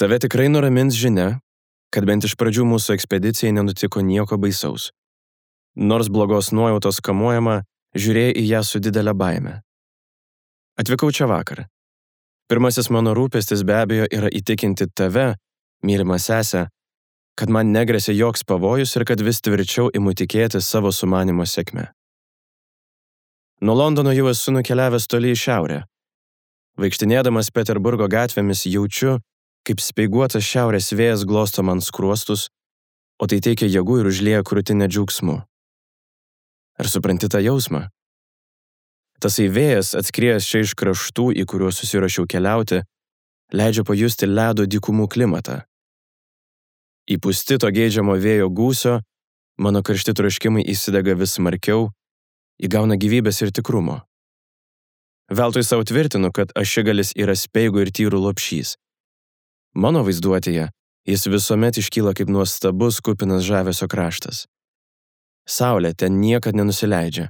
Tave tikrai nuramins žinia, kad bent iš pradžių mūsų ekspedicijai nenutiko nieko baisaus. Nors blogos nuojautos kamuojama, žiūrėjai į ją su didelė baime. Atvykau čia vakar. Pirmasis mano rūpestis be abejo yra įtikinti tave, mylima sesę, kad man negresia joks pavojus ir kad vis tvirčiau imu tikėti savo sumanimo sėkme. Nuo Londono jau esu nukeliavęs toli į šiaurę. Vaikštinėdamas Peterburgo gatvėmis jaučiu, kaip speiguotas šiaurės vėjas glosto man skruostus, o tai teikia jėgų ir užlieja krūtinę džiaugsmu. Ar supranti tą jausmą? Tasai vėjas, atskriejęs čia iš kraštų, į kuriuos susirašiau keliauti, leidžia pajusti ledo dykumų klimatą. Įpūsti to geidžiamo vėjo gūsio, mano karšti troškimai įsidega vis smarkiau, įgauna gyvybės ir tikrumo. Veltui savo tvirtinu, kad ašigalis yra speigų ir tyrų lopšys. Mano vaizduotėje jis visuomet iškyla kaip nuostabus kupinas žavesio kraštas. Saulė ten niekad nenusileidžia.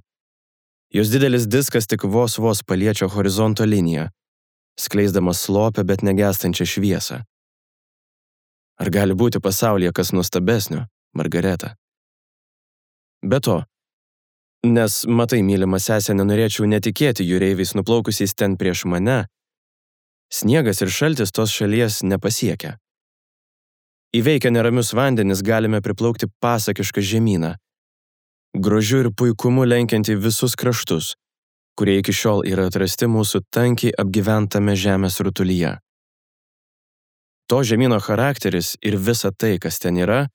Jos didelis diskas tik vos paliečia horizonto liniją, skleisdamas slopę, bet negęstančią šviesą. Ar gali būti pasaulyje kas nuostabesnio, Margareta? Be to, nes, matai, mylima sesė, nenorėčiau netikėti jūreiviais nuplaukusiais ten prieš mane, sniegas ir šaltis tos šalies nepasiekia. Įveikę neramius vandenis galime priplaukti pasakišką žemyną, grožiu ir puikumu lenkiantį visus kraštus, kurie iki šiol yra atrasti mūsų tankiai apgyventame žemės rutulyje. To žemyno charakteris ir visa tai, kas ten yra,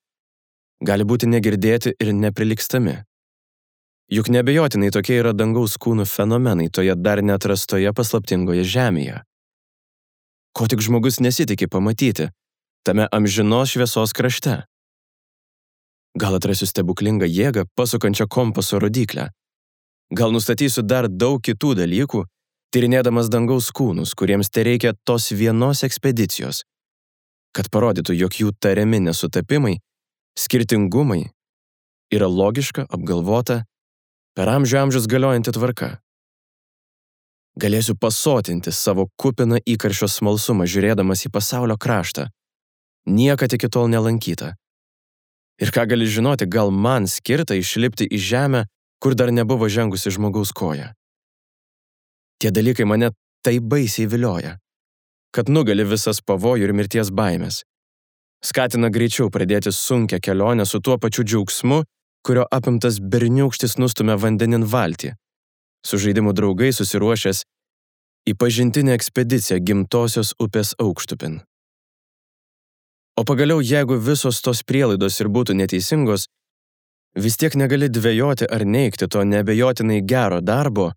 gali būti negirdėti ir neprilygstami. Juk neabejotinai tokie yra dangaus kūnų fenomenai toje dar neatrastoje paslaptingoje žemėje. Ko tik žmogus nesitikė pamatyti tame amžinos šviesos krašte. Gal atrasiu stebuklingą jėgą, pasukančią kompaso rodyklę. Gal nustatysiu dar daug kitų dalykų, tyrinėdamas dangaus kūnus, kuriems tereikia tos vienos ekspedicijos, kad parodytų, jog jų tariami nesutapimai, skirtingumai yra logiška, apgalvota, per amžius galiojanti tvarka. Galėsiu pasotinti savo kupiną įkarščio smalsumą, žiūrėdamas į pasaulio kraštą, niekad iki tol nelankytą. Ir ką gali žinoti, gal man skirta išlipti į žemę, kur dar nebuvo žengusi žmogaus koja. Tie dalykai mane taip baisiai vilioja, kad nugali visas pavojų ir mirties baimės. Skatina greičiau pradėti sunkią kelionę su tuo pačiu džiaugsmu, kurio apimtas berniūkštis nustumia vandenin valtį, su žaidimų draugai susiruošęs į pažintinę ekspediciją gimtosios upės aukštupin. O pagaliau, jeigu visos tos prielaidos ir būtų neteisingos, vis tiek negali dvejoti ar neigti to neabejotinai gero darbo,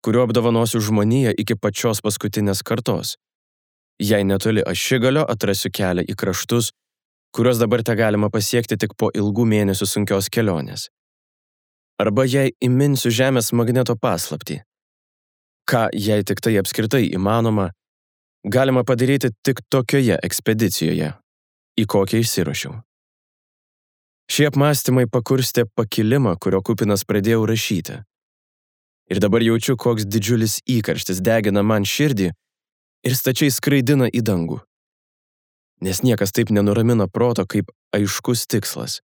kuriuo apdovanosiu žmoniją iki pačios paskutinės kartos. Jei netoli ašigalio atrasiu kelią į kraštus, kuriuos dabar te galima pasiekti tik po ilgų mėnesių sunkios kelionės. Arba jei įminsiu žemės magneto paslaptį. Ką, jei tik tai apskritai įmanoma, galima padaryti tik tokioje ekspedicijoje, į kokią išsiruošiau. Šie apmąstymai pakurstė pakilimą, kurio kupinas pradėjau rašyti. Ir dabar jaučiu, koks didžiulis įkarštis degina man širdį ir stačiai skraidina į dangų. Nes niekas taip nenuramina proto kaip aiškus tikslas.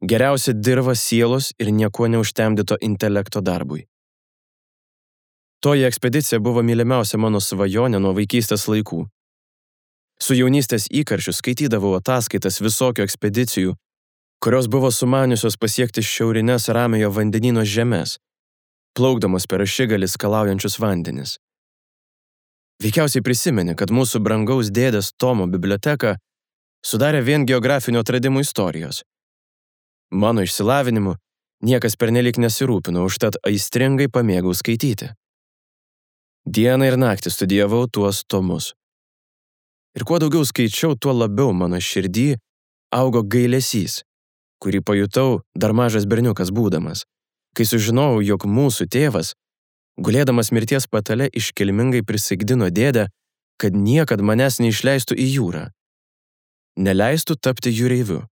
Geriausia dirva sielos ir niekuo neužtemdyto intelekto darbui. Toji ekspedicija buvo mylimiausia mano svajonė nuo vaikystės laikų. Su jaunystės įkarščiu skaitydavau ataskaitas visokių ekspedicijų, kurios buvo sumaniusios pasiekti šiaurines Ramiojo vandenyno žemes, plaukdamas per ašigalį skalaujančius vandenis. Veikiausiai prisimeni, kad mūsų brangaus dėdės Tomo biblioteka sudarė vien geografinių atradimų istorijos. Mano išsilavinimu niekas pernelyg nesirūpino, užtat aistringai pamėgau skaityti. Dieną ir naktį studijavau tuos tomus. Ir kuo daugiau skaičiau, tuo labiau mano širdį augo gailesys, kurį pajutau dar mažas berniukas būdamas, kai sužinojau, jog mūsų tėvas, gulėdamas mirties patale, iškilmingai prisaikdino dėdę, kad niekad manęs neišleistų į jūrą. Neleistų tapti jūreiviu.